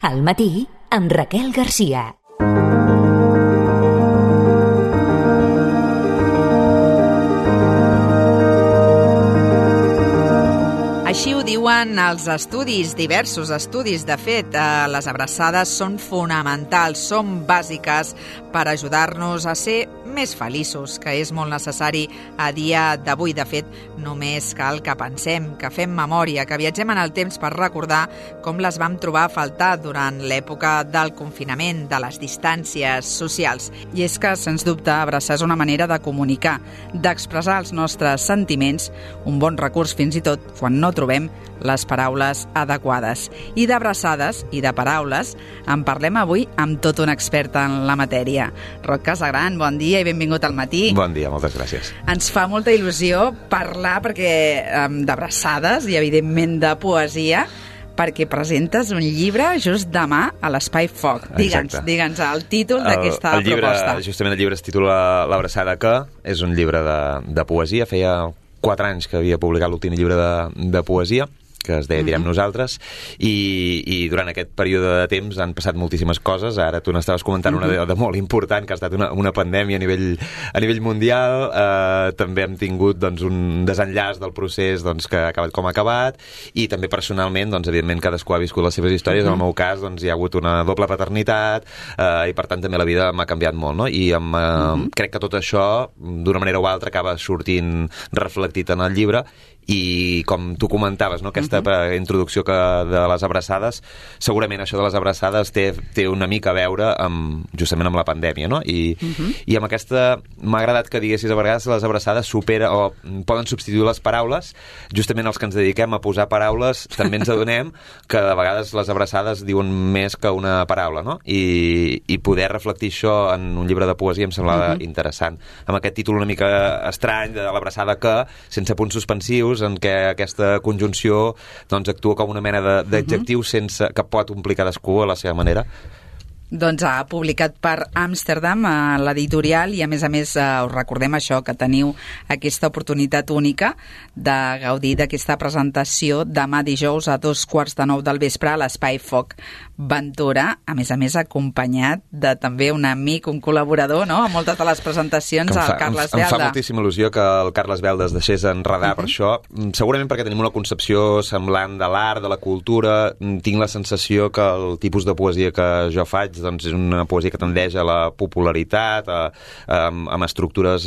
Al matí, amb Raquel Garcia. Així ho diuen els estudis, diversos estudis. De fet, les abraçades són fonamentals, són bàsiques per ajudar-nos a ser més feliços, que és molt necessari a dia d'avui. De fet, només cal que pensem, que fem memòria, que viatgem en el temps per recordar com les vam trobar a faltar durant l'època del confinament, de les distàncies socials. I és que, sens dubte, abraçar és una manera de comunicar, d'expressar els nostres sentiments, un bon recurs fins i tot quan no trobem les paraules adequades. I d'abraçades i de paraules en parlem avui amb tot un expert en la matèria. Roc Casagran, bon dia i benvingut al matí. Bon dia, moltes gràcies. Ens fa molta il·lusió parlar d'abraçades i, evidentment, de poesia, perquè presentes un llibre just demà a l'Espai Foc. Digue'ns el títol d'aquesta proposta. Justament el llibre es titula L'abraçada que, és un llibre de poesia. Feia 4 anys que havia publicat l'últim llibre de poesia, que es deia Direm Nosaltres, i durant aquest període de temps han passat moltíssimes coses. Ara tu n'estaves comentant una de molt important, que ha estat una pandèmia a nivell mundial. També hem tingut un desenllaç del procés que ha acabat com ha acabat, i també personalment, evidentment, cadascú ha viscut les seves històries. En el meu cas, hi ha hagut una doble paternitat, i per tant també la vida m'ha canviat molt, no? I crec que tot això, d'una manera o altra, acaba sortint reflectit en el llibre. I com tu comentaves, no? Aquesta introducció de les abraçades, segurament això de les abraçades té una mica a veure justament amb la pandèmia, no? I amb aquesta m'ha agradat que diguessis a vegades les abraçades poden substituir les paraules. Justament els que ens dediquem a posar paraules també ens adonem que de vegades les abraçades diuen més que una paraula, no? I poder reflectir això en un llibre de poesia em semblava interessant. Amb aquest títol una mica estrany de l'abraçada que, sense punts suspensius, en què aquesta conjunció actua com una mena d'adjectiu que pot omplir cadascú a la seva manera. Doncs ha publicat per Amsterdam, a l'editorial, i a més us recordem això, que teniu aquesta oportunitat única de gaudir d'aquesta presentació demà dijous a 2:15 del vespre a l'Espai Foc Ventura, a més acompanyat de també un amic, un col·laborador, no?, a moltes de les presentacions, el Carles Belda. Em fa moltíssima il·lusió que el Carles Belda es deixés enredar per això, segurament perquè tenim una concepció semblant de l'art, de la cultura. Tinc la sensació que el tipus de poesia que jo faig és una poesia que tendeix a la popularitat, amb estructures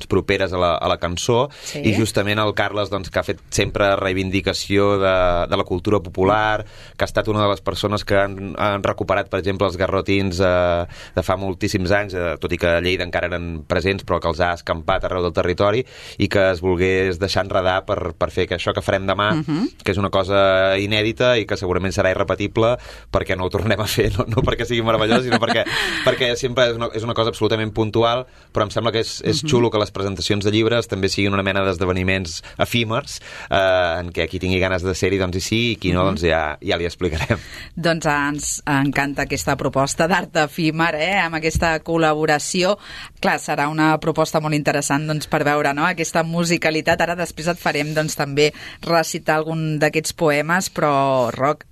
properes a la cançó, sí. I justament el Carles, que ha fet sempre reivindicació de la cultura popular, que ha estat una de les persones que han recuperat, per exemple, els garrotins de fa moltíssims anys, tot i que a Lleida encara eren presents, però que els ha escampat arreu del territori, i que es volgués deixar enredar per fer això que farem demà, que és una cosa inèdita i que segurament serà irrepetible, perquè no ho tornem a fer, no perquè sigui meravellós, sinó perquè sempre és una cosa absolutament puntual, però em sembla que és xulo que les presentacions de llibres també siguin una mena d'esdeveniments efímers, en què qui tingui ganes de ser-hi, hi sí, i qui no, ja li explicarem. Doncs ens encanta aquesta proposta d'art efímer, amb aquesta col·laboració. Clar, serà una proposta molt interessant per veure, no?, aquesta musicalitat. Ara després et farem també recitar algun d'aquests poemes, però, Roc,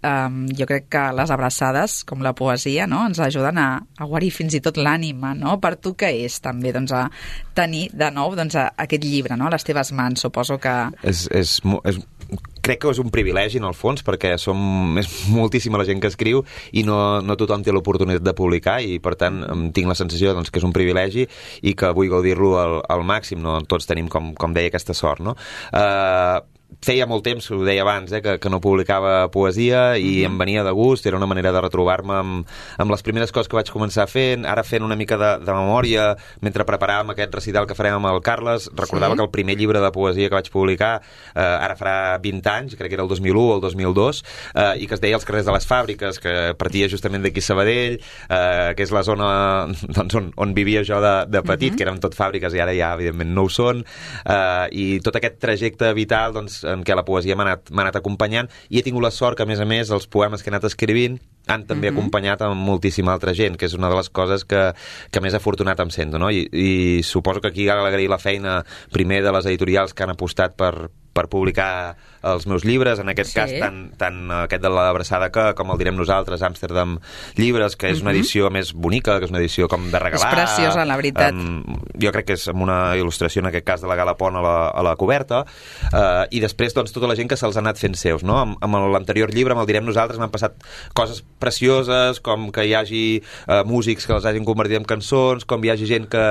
jo crec que les abraçades, com la poesia, no?, ens ajuden a guarir fins i tot l'ànima, no? Per tu què és també a tenir de nou aquest llibre, no?, a les teves mans? Suposo que... Crec que és un privilegi, en el fons, perquè és moltíssima la gent que escriu i no tothom té l'oportunitat de publicar, i per tant tinc la sensació que és un privilegi i que vull gaudir-lo al màxim. No tots tenim, com deia, aquesta sort, no? Feia molt temps, ho deia abans, que no publicava poesia, i em venia de gust. Era una manera de retrobar-me amb les primeres coses que vaig començar fent. Ara, fent una mica de memòria, mentre preparàvem aquest recital que farem amb el Carles, recordava que el primer llibre de poesia que vaig publicar, ara farà 20 anys, crec que era el 2001 o el 2002, i que es deia Els carrers de les fàbriques, que partia justament d'aquí Sabadell, que és la zona on vivia jo de petit, que eren tot fàbriques, i ara ja, evidentment, no ho són, i tot aquest trajecte vital, en què la poesia m'ha anat acompanyant, i he tingut la sort que, a més, els poemes que he anat escrivint han també acompanyat amb moltíssima altra gent, que és una de les coses que més afortunat em sento, no? I suposo que aquí cal agrair la feina primer de les editorials que han apostat per per publicar els meus llibres, en aquest cas tant aquest de l'Abraçada com el direm nosaltres, Amsterdam Llibres, que és una edició més bonica, que és una edició com de regalar. És preciosa, la veritat. Jo crec que és amb una il·lustració, en aquest cas de la Gala Pont a la coberta, i després doncs, tota la gent que se'ls ha anat fent seus, no? Amb l'anterior llibre, amb el direm nosaltres, m'han passat coses precioses, com que hi hagi músics que els hagin convertit en cançons, com hi hagi gent que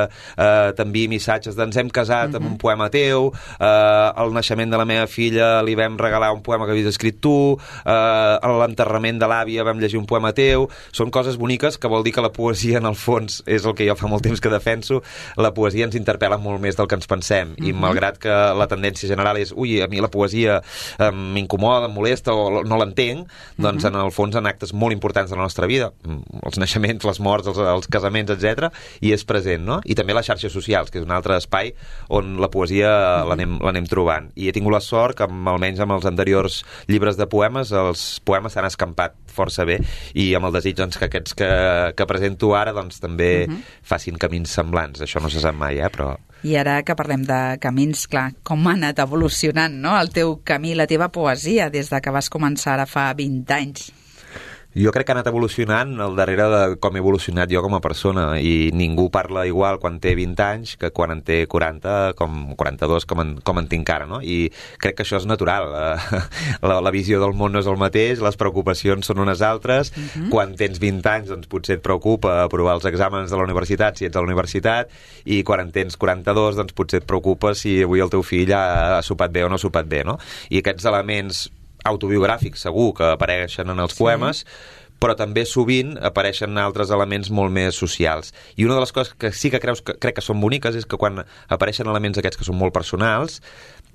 t'enviï missatges d'ens hem casat amb un poema teu, al naixement de la meva filla li vam regalar un poema que havies escrit tu, a l'enterrament de l'àvia vam llegir un poema teu. Són coses boniques, que vol dir que la poesia en el fons és el que jo fa molt temps que defenso. La poesia ens interpel·la molt més del que ens pensem, i malgrat que la tendència general és a mi la poesia m'incomoda, em molesta o no l'entenc, doncs en el fons en actes molt importants de la nostra vida, els naixements, les morts, els casaments, etc, i és present, no? I també les xarxes socials, que és un altre espai on la poesia l'anem trobant. I he tingut la sort que almenys amb els anteriors llibres de poemes, els poemes s'han escampat força bé, i amb el desig doncs, que aquests que presento ara doncs, també facin camins semblants. Això no se sap mai, però... I ara que parlem de camins, clar, com ha anat evolucionant, no?, el teu camí, la teva poesia, des de que vas començar ara fa 20 anys. Jo crec que ha anat evolucionant al darrere de com he evolucionat jo com a persona, i ningú parla igual quan té 20 anys que quan en té 40, com 42, com en tinc ara, no? I crec que això és natural. La visió del món no és el mateix, les preocupacions són unes altres. Quan tens 20 anys, doncs potser et preocupa aprovar els exàmens de la universitat, si ets a la universitat, i quan en tens 42, doncs potser et preocupa si avui el teu fill ha sopat bé o no ha sopat bé, no? I aquests elements autobiogràfics segur que apareixen en els poemes, però també sovint apareixen altres elements molt més socials. I una de les coses que sí que crec que són boniques és que quan apareixen elements aquests que són molt personals,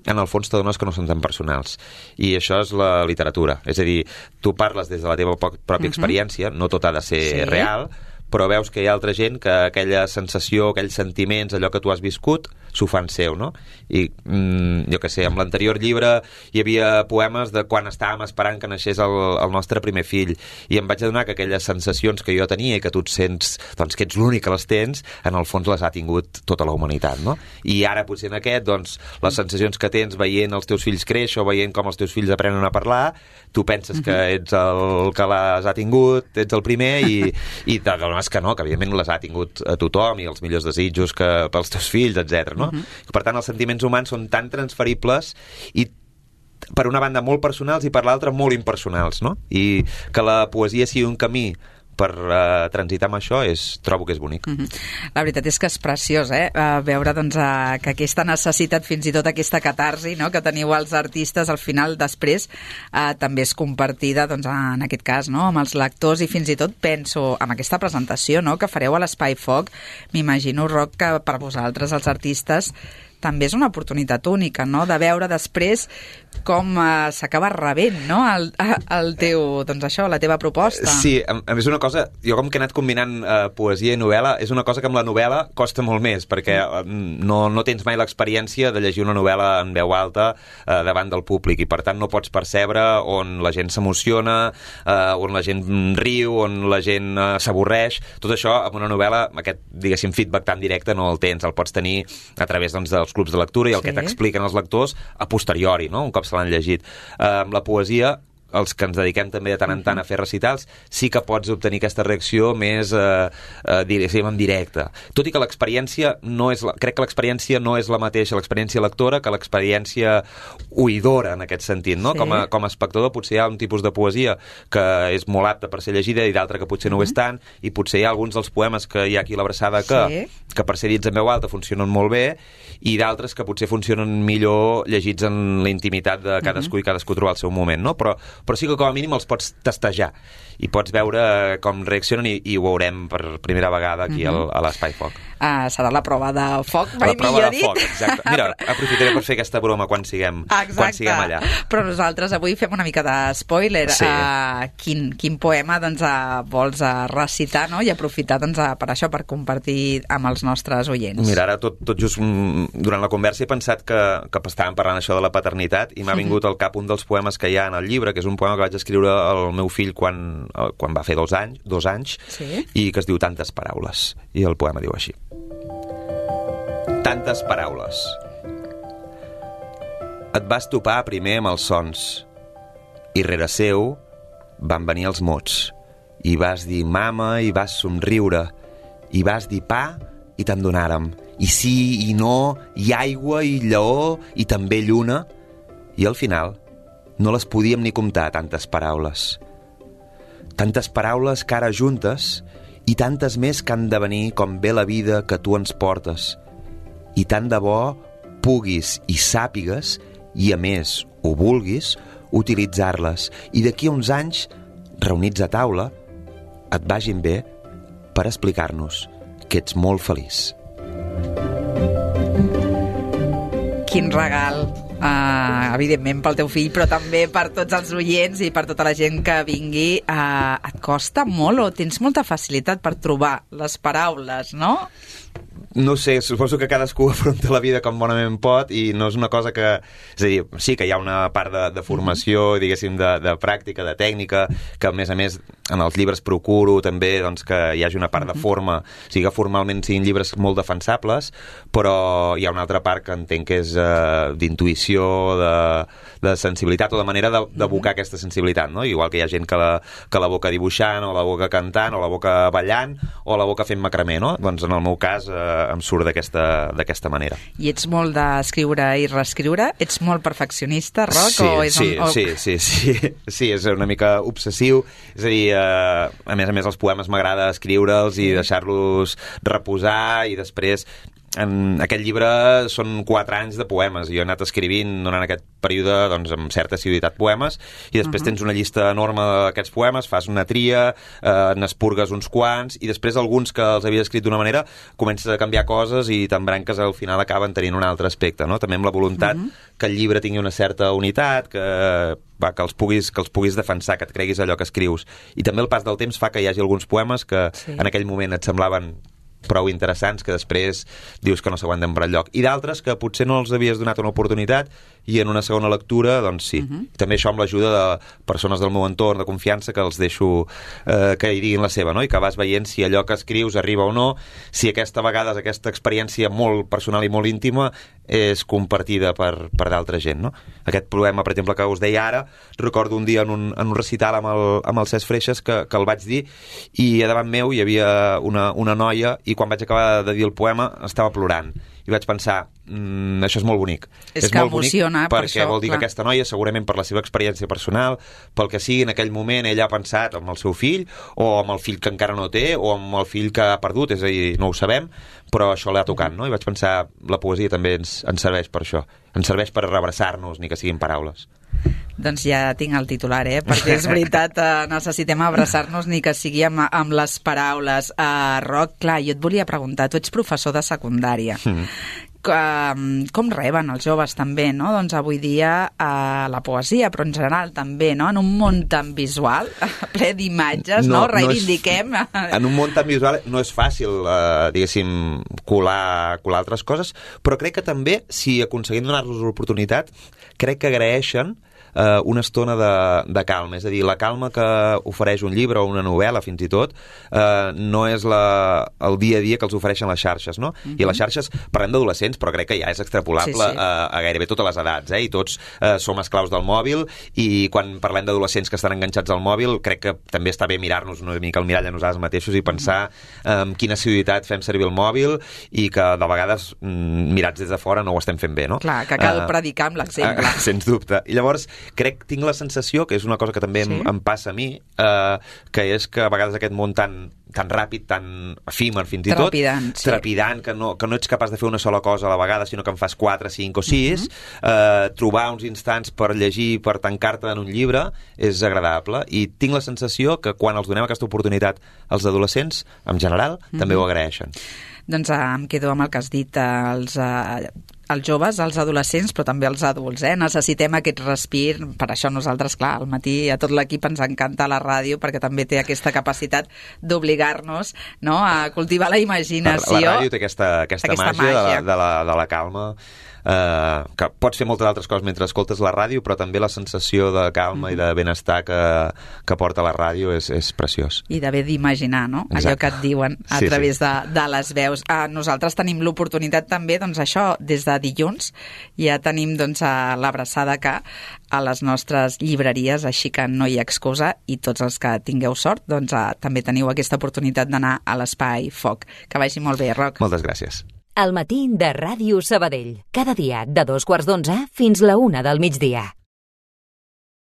en el fons t'adones que no són tan personals. I això és la literatura. És a dir, tu parles des de la teva pròpia experiència, no tot ha de ser real, però veus que hi ha altra gent que aquella sensació, aquells sentiments, allò que tu has viscut, s'ho fan seu, no? I jo què sé, amb l'anterior llibre hi havia poemes de quan estàvem esperant que naixés el nostre primer fill, i em vaig adonar que aquelles sensacions que jo tenia i que tu et sents, doncs que ets l'únic que les tens, en el fons les ha tingut tota la humanitat, no? I ara potser en aquest, doncs, les sensacions que tens veient els teus fills créixer o veient com els teus fills aprenen a parlar, tu penses que ets el que les ha tingut, ets el primer, i t'adones que no, que evidentment les ha tingut a tothom, i els millors desitjos pels teus fills, etc. No? Per tant, els sentiments humans són tan transferibles i per una banda molt personals i per l'altra molt impersonals, no? I que la poesia sigui un camí per transitar amb això, trobo que és bonic. La veritat és que és preciós, veure doncs, que aquesta necessitat, fins i tot aquesta catarsi, no?, que teniu els artistes, al final, després, també és compartida, doncs, en aquest cas, no?, amb els lectors, i fins i tot penso, amb aquesta presentació, no?, que fareu a l'Espai Foc, m'imagino, Roc, que per vosaltres, els artistes, també és una oportunitat única, no?, de veure després com s'acaba rebent, no?, el teu, doncs això, la teva proposta. Sí, a més una cosa, jo com que he anat combinant poesia i novel·la, és una cosa que amb la novel·la costa molt més, perquè no tens mai l'experiència de llegir una novel·la en veu alta davant del públic, i per tant no pots percebre on la gent s'emociona, on la gent riu, on la gent s'avorreix. Tot això, amb una novel·la, aquest, diguéssim, feedback tan directe no el tens, el pots tenir a través, doncs, dels clubs de lectura i el que t'expliquen els lectors a posteriori, no?, un cop se l'han llegit. Amb la poesia, els que ens dediquem també de tant en tant a fer recitals, sí que pots obtenir aquesta reacció més, diguéssim, en directe. Tot i que l'experiència crec que l'experiència no és la mateixa, l'experiència lectora, que l'experiència oïdora, en aquest sentit, no? Com a espectador potser hi ha un tipus de poesia que és molt apta per ser llegida i d'altra que potser no ho és tant, i potser hi ha alguns dels poemes que hi ha aquí a l'Abraçada que per ser dits en veu alta funcionen molt bé, i d'altres que potser funcionen millor llegits en la intimitat de cadascú i cadascú trobar el seu moment, no? Però sí que com a mínim els pots testejar i pots veure com reaccionen, i ho veurem per primera vegada aquí a l'Espai Foc. Serà la prova de foc, mai millor dit. Foc, exacte. Mira, aprofitaré per fer aquesta broma quan siguem allà. Però nosaltres avui fem una mica de spoiler. Quin poema doncs, vols recitar, no?, i aprofitar doncs, per això, per compartir amb els nostres oients. Mira, ara tot just durant la conversa he pensat que estàvem parlant això de la paternitat, i m'ha vingut al cap un dels poemes que hi ha en el llibre, que és un poema que vaig escriure al meu fill quan va fer 2 anys, i que es diu Tantes paraules, i el poema diu així: tantes paraules. Et vas topar primer amb els sons i rere seu van venir els mots i vas dir mama i vas somriure i vas dir pa i te'n donàrem i sí i no i aigua i lleó i també lluna i al final no les podíem ni comptar, tantes paraules que ara juntes i tantes més que han de venir com ve la vida que tu ens portes i tant de bo puguis i sàpigues i a més ho vulguis utilitzar-les i d'aquí a uns anys reunits a taula et vagin bé per explicar-nos que ets molt feliç. Quin regal, evidentment pel teu fill, però també per tots els oients i per tota la gent que vingui. Et costa molt o tens molta facilitat per trobar les paraules, no? No sé, suposo que cadascú afronta la vida com bonament pot i no és una cosa que... És a dir, sí que hi ha una part de formació, diguéssim, de pràctica, de tècnica, que a més en els llibres procuro també doncs, que hi hagi una part de forma, o sigui que formalment siguin llibres molt defensables, però hi ha una altra part que entenc que és d'intuïció, de sensibilitat o de manera d'evocar aquesta sensibilitat, no? Igual que hi ha gent que la boca dibuixant, o la boca cantant, o la boca ballant, o la boca fent macramé, no? Doncs en el meu cas em surt d'aquesta manera. I ets molt d'escriure i reescriure? Ets molt perfeccionista, Roc? Sí, és una mica obsessiu. És a dir, a més els m'agrada escriure'ls i deixar-los reposar i després... En aquest llibre són 4 anys de poemes i jo he anat escrivint durant aquest període doncs, amb certa assiduïtat poemes i després tens una llista enorme d'aquests poemes, fas una tria, n'espurgues uns quants i després alguns que els havies escrit d'una manera comences a canviar coses i t'embranques al final acaben tenint un altre aspecte, no? També amb la voluntat que el llibre tingui una certa unitat, que els puguis defensar, que et creguis allò que escrius. I també el pas del temps fa que hi hagi alguns poemes que en aquell moment et semblaven prou interessants que després dius que no s'aguanten per enlloc. I d'altres que potser no els havies donat una oportunitat i en una segona lectura, doncs sí. També això amb l'ajuda de persones del meu entorn, de confiança, que els deixo que hi diguin la seva, no? I que vas veient si allò que escrius arriba o no, si aquesta vegada aquesta experiència molt personal i molt íntima és compartida per d'altra gent, no? Aquest poema, per exemple, que us deia ara, recordo un dia en un recital amb el Cesc Freixas que el vaig dir i a davant meu hi havia una noia i quan vaig acabar de dir el poema estava plorant i vaig pensar, això és molt bonic. És que molt emociona, bonic perquè vol dir que aquesta noia, segurament per la seva experiència personal, pel que sigui en aquell moment, ella ha pensat amb el seu fill, o amb el fill que encara no té, o amb el fill que ha perdut, és a dir, no ho sabem, però això l'ha tocat, no? I vaig pensar, la poesia també ens serveix per això. Ens serveix per reabraçar-nos, ni que siguin paraules. Doncs ja tinc el titular, perquè és veritat, necessitem abraçar-nos ni que sigui amb les paraules. Roc, clar, jo et volia preguntar, tu ets professor de secundària. Com reben els joves també, no? Doncs avui dia la poesia, però en general també, no? En un món tan visual, ple d'imatges, no? Reivindiquem. En un món tan visual no és fàcil, diguéssim, colar altres coses, però crec que també, si aconseguim donar-los l'oportunitat, crec que agraeixen una estona de calma, és a dir, la calma que ofereix un llibre o una novel·la fins i tot no és el dia a dia que els ofereixen les xarxes, no? I les xarxes, parlem d'adolescents, però crec que ja és extrapolable a gairebé totes les edats, i tots som esclaus del mòbil i quan parlem d'adolescents que estan enganxats al mòbil crec que també està bé mirar-nos una mica al mirall a nosaltres mateixos i pensar amb quina assiduïtat fem servir el mòbil i que de vegades mirats des de fora no ho estem fent bé, no? Clar, que cal predicar amb l'exemple. Sens dubte. I llavors tinc la sensació, que és una cosa que també em passa a mi, que és que a vegades aquest món tan ràpid, tan efímer fins i tot, trepidant, que no ets capaç de fer una sola cosa a la vegada, sinó que en fas 4, 5 o 6, trobar uns instants per llegir, per tancar-te en un llibre, és agradable. I tinc la sensació que quan els donem aquesta oportunitat als adolescents, en general, també ho agraeixen. Doncs em quedo amb el que has dit, els joves, els adolescents, però també els adults, necessitem aquest respir. Per això nosaltres, clar, al matí a tot l'equip ens encanta la ràdio, perquè també té aquesta capacitat d'obligar-nos, no?, a cultivar la imaginació. La ràdio té aquesta màgia de la calma. que pots fer moltes altres coses mentre escoltes la ràdio, però també la sensació de calma i de benestar que porta la ràdio és preciós. I d'haver d'imaginar, no? Exacte. Allò que et diuen a través de les veus. Nosaltres tenim l'oportunitat també, doncs això, des de dilluns ja tenim doncs l'abraçada que a les nostres llibreries, així que no hi ha excusa, i tots els que tingueu sort doncs també teniu aquesta oportunitat d'anar a l'Espai Foc. Que vagi molt bé, Roc. Moltes gràcies. El matí de Ràdio Sabadell. Cada dia de 2:15 fins la 1 del migdia.